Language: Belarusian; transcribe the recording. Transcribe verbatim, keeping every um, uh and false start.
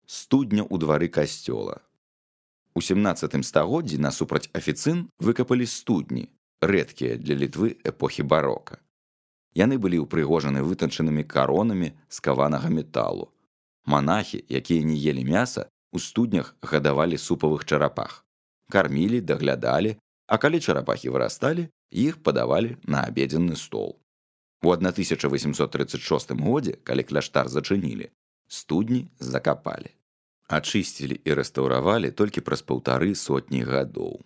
Студня ў двары касцёла. У сямнаццатым стагоддзі насупраць афіцын выкапалі студні, рэдкія для Літвы эпохі барока. Яны былі ўпрыгожаны вытанчанымі каронамі з каванага металу. Манахі, якія не елі мяса, у студнях гадавалі супавых чарапах. Кармілі, даглядалі, а калі чарапахі вырасталі, іх падавалі на абедзенны стол. У тысяча васьмсот трыццаць шостым годзе, калі кляштар зачынілі, студні закапалі. Ачысцілі і рэстаўравалі толькі праз паўтары сотні гадоў.